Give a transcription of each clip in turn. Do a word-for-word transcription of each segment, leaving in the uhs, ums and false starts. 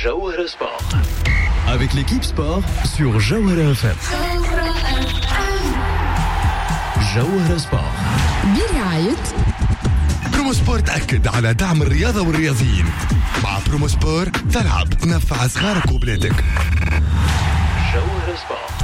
جوهرة Sport avec l'équipe sport sur جوهرة إف إم. جوهرة Sport برعاية بروموسبور، تأكد على دعم الرياضة والرياضيين. مع بروموسبور تلعب، تنفع صغارك وبلادك. جوهرة Sport.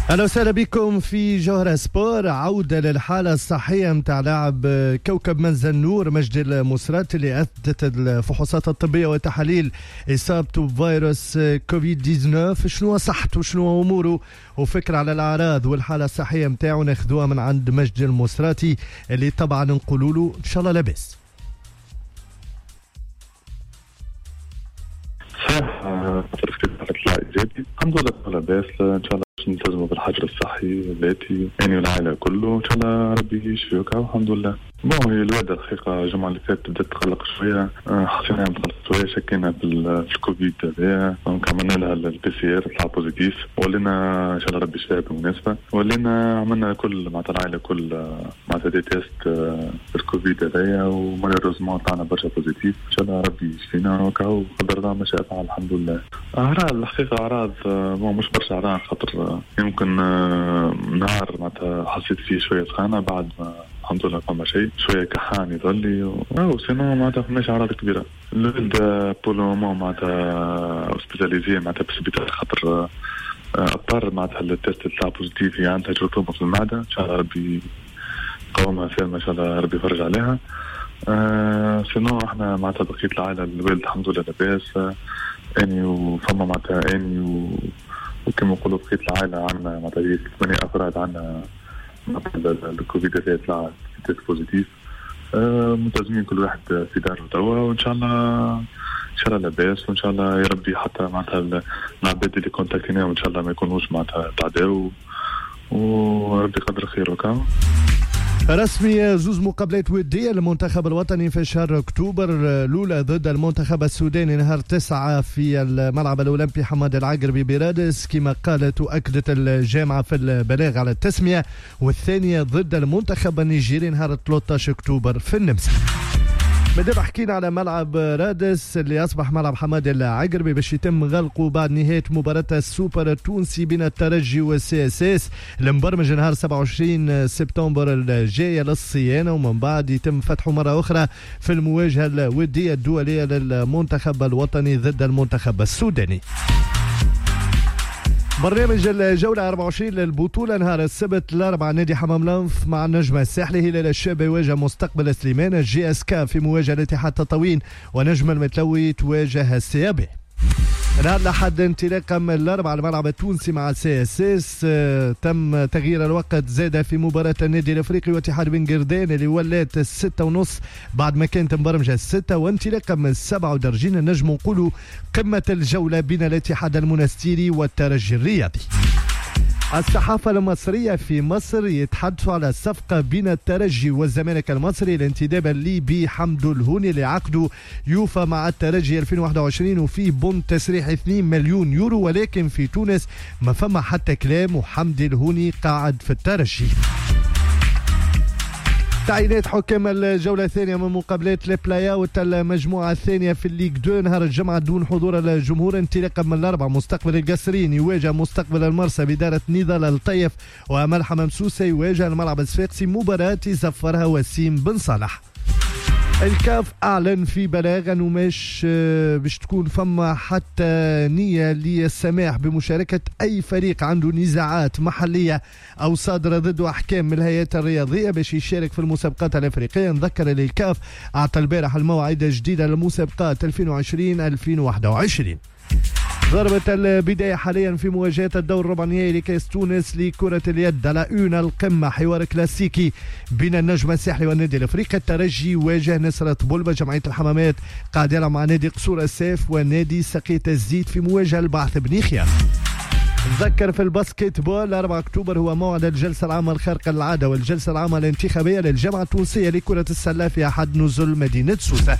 اهلا وسهلا بكم في جوهرة Sport. عودة للحالة الصحية متاع لاعب كوكب منزل النور مجدي المسرات، اللي اثبتت الفحوصات الطبية وتحاليل اصابته بفيروس كوفيد تسعطاش. شنو صحته، شنو اموره، وفكرة على الاعراض والحالة الصحية متاعه ناخذوها من عند مجدي المسراتي، اللي طبعا نقولوا له ان شاء الله لاباس. صحيح، طلع ايجابي، الحمد لله لاباس. ان شاء الله باش نلتزموا بالحجر الصحي الذاتي يعني والعائلة كله، ان شاء الله ربي يشفيك، الحمد لله. bon، هي الوالدة الحقيقة الجمعة اللي فاتت بدات تقلق شويه، حسينا متقلق شويه، شكينا في الكوفيد هذايا، donc عملنا لها ال PCR طلع positif، ولينا ان شاء الله ربي يشفيها بالمناسبه، ولينا عملنا كل معناتها العائلة كل معناتها des tests في الكوفيد هذايا، و malheureusement طلعنا برشا positif. ان شاء الله ربي يشفينا وكاو، قدر الله ما شاء فعل، الحمد لله. اعراض الحقيقة اعراض bon مش برشا اعراض، خاطر يمكن نهار معناتها حسيت فيه شوية سخانه، بعد ما الحمد لله فما شيء، شوية كحان يظلي و sinon معناتها فماش اعراض كبيرة. الولد pour le moment معناتها hospitalisé معناتها في السبيطار، خاطر اضطر معناتها ال test تاع positif، هي عندها جرثومة في المعده، ان شاء الله ربي يقومها سالمه، ان شاء الله ربي يفرج عليها. أه sinon احنا معناتها بقية العائله، الوالد الحمد لله لاباس، اني وفما معناتها اني و... وكما نقولوا بقية العائلة عندنا معناتها ثمانية افراد عندنا الكوفيد هذا طلع test positif. أه ملتزمين كل واحد في داره توا، وان شاء الله ان شاء الله لاباس، وان شاء الله يا ربي حتى معناتها العباد اللي contactيناهم ان شاء الله ما يكونوش معناتها تعداو، وربي يقدر خير وكا. رسمي، زوز مقابلات ودية للمنتخب الوطني في شهر أكتوبر. الأولى ضد المنتخب السوداني نهار تسعة في الملعب الأولمبي حماد العقربي برادس، كما قالت وأكدت الجامعة في البلاغ على التسمية، والثانية ضد المنتخب النيجيري نهار ثلاثة عشر أكتوبر في النمسا. مادام حكينا على ملعب رادس اللي اصبح ملعب حماد العقربي، باش يتم غلقه بعد نهاية مباراة السوبر التونسي بين الترجي وال CSS المبرمج نهار سبعة وعشرين سبتمبر الجاية للصيانه، ومن بعد يتم فتحه مرة اخرى في المواجهة الودية الدولية للمنتخب الوطني ضد المنتخب السوداني. برنامج الجولة أربعة وعشرين للبطولة: نهار السبت الأربعة نادي حمام لنف مع النجم الساحلي، هلال الشابة يواجه مستقبل سليمان، ال JSK في مواجهة الاتحاد تطاوين، ونجم المتلوي تواجه ال CAB. نهار الأحد انطلاقا من الأربعة الملعب التونسي مع CSS. تم تغيير الوقت زاد في مباراة النادي الأفريقي واتحاد بن قردان اللي ولات الستة ونص بعد ما كانت مبرمجة الستة، وانطلاقا من السبعة ودرجين نجم نقولوا قمة الجولة بين الاتحاد المنستيري والترجي الرياضي. الصحافة المصرية في مصر يتحدثوا على الصفقة بين الترجي والزمالك المصري لانتداب الليبي حمدو الهوني، اللي عقده يوفى مع الترجي ألفين وواحد وعشرين وفيه بند تسريح اثنين مليون يورو، ولكن في تونس ما فما حتى كلام وحمدي الهوني قاعد في الترجي. تعيينات حكام الجولة الثانية من مقابلات les play-out المجموعة الثانية في ال Ligue deux نهار الجمعة دون حضور الجمهور، انطلاقا من الأربعة مستقبل القصرين يواجه مستقبل المرسى بإدارة نضال الطيف، وأمل حمام سوسة يواجه الملعب الصفاقسي، مباراة يصفرها وسيم بن صالح. الكاف اعلن في بلاغ انه مش آه، باش تكون فما حتى نيه للسماح بمشاركة اي فريق عنده نزاعات محليه او صادرة ضده احكام من الهيئات الرياضية باش يشارك في المسابقات الافريقيه. نذكر اللي الكاف اعطى البارح المواعيد الجديدة للمسابقات ألفين وعشرين ألفين وواحد وعشرين. ضربة البداية حاليا في مواجهة الدور الربع النهائي لكأس تونس لكرة اليد. à la une القمة، حوار كلاسيكي بين النجم الساحلي والنادي الافريقي. الترجي يواجه نصر طبلبة، جمعية الحمامات قاعد يلعب مع نادي قصور الساف، ونادي سقية الزيت في مواجهة البعث بني خيار. نذكر في ال basket-ball، أربعة أكتوبر هو موعد الجلسة العامة الخارقة للعادة والجلسة العامة الانتخابية للجامعة التونسية لكرة السلة في أحد نزل مدينة سوسة.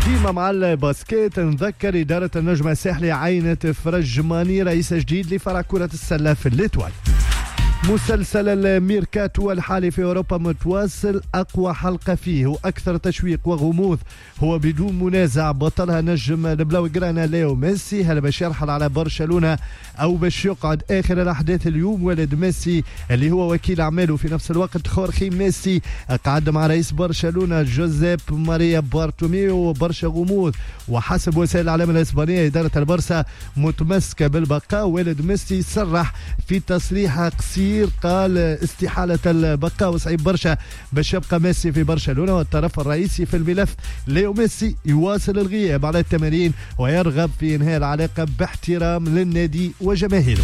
ديما مع ال basket، نذكر إدارة النجم الساحلي عينت فرج ماني رئيس جديد لفرع كرة السلة في l'Étoile. مسلسل الميركاتو الحالي في أوروبا متواصل، أقوى حلقة فيه وأكثر تشويق وغموض هو بدون منازع بطلها نجم البلاوغرانا ليو ميسي. هل باش يرحل على برشلونة أو باش يقعد؟ آخر الأحداث اليوم والد ميسي اللي هو وكيل أعماله في نفس الوقت خورخي ميسي قعد مع رئيس برشلونة جوزيب ماريا بارتوميو وبرشا غموض، وحسب وسائل الإعلام الإسبانية إدارة البرسا متمسكة بالبقاء. والد ميسي صرح في تصريح قصير قال استحالة البقاء وصعيب برشا باش يبقى ميسي في برشلونة، والطرف الرئيسي في الملف ليو ميسي يواصل الغياب على التمارين ويرغب في إنهاء العلاقة باحترام للنادي وجماهيره.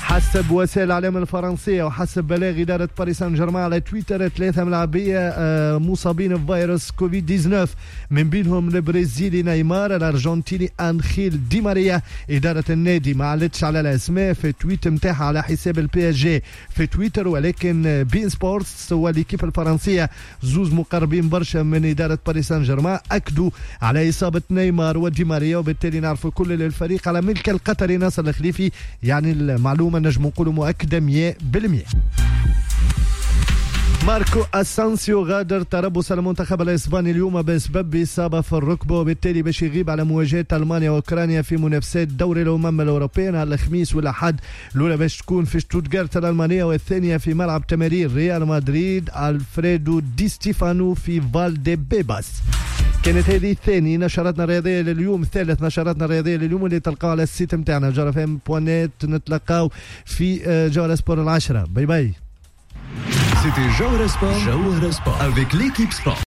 حسب وسائل الإعلام الفرنسية وحسب بلاغ إدارة باريس سان جيرمان على تويتر، ثلاثة ملاعبية مصابين بفيروس كوفيد تسعة عشر من بينهم البرازيلي نيمار، الأرجنتيني أنخيل دي ماريا. إدارة النادي ما علتش على الأسماء في tweet متاعها على حساب ال PSG في تويتر، ولكن beIN Sports و L'Équipe الفرنسية زوز مقربين برشا من إدارة باريس سان جيرمان أكدوا على إصابة نيمار ودي ماريا، وبالتالي نعرفوا كل الفريق على ملك القطري ناصر الخليفي. يعني المعلومة نجم نقولوا مؤكدة مية بالمية. ماركو أسانسيو غادر تربص المنتخب الإسباني اليوم بسبب إصابة في الركبة، وبالتالي باش يغيب على مواجهة ألمانيا وأوكرانيا في منافسات دوري الأمم الأوروبية نهار الخميس والأحد. الأولى باش تكون في شتوتغارت الألمانية والثانية في ملعب تمارين ريال مدريد ألفريدو دي ستيفانو في فالدي بيباس. كانت هذه الثاني نشرتنا الرياضية لليوم، ثالث نشرتنا الرياضية لليوم اللي تلقاو على ال site نتاعنا جوهرة اف ام point net. نتلقاو في جوهرة سبور العشرة. bye bye. C'était Jawhara Sport, Jawhara Sport avec l'équipe sport.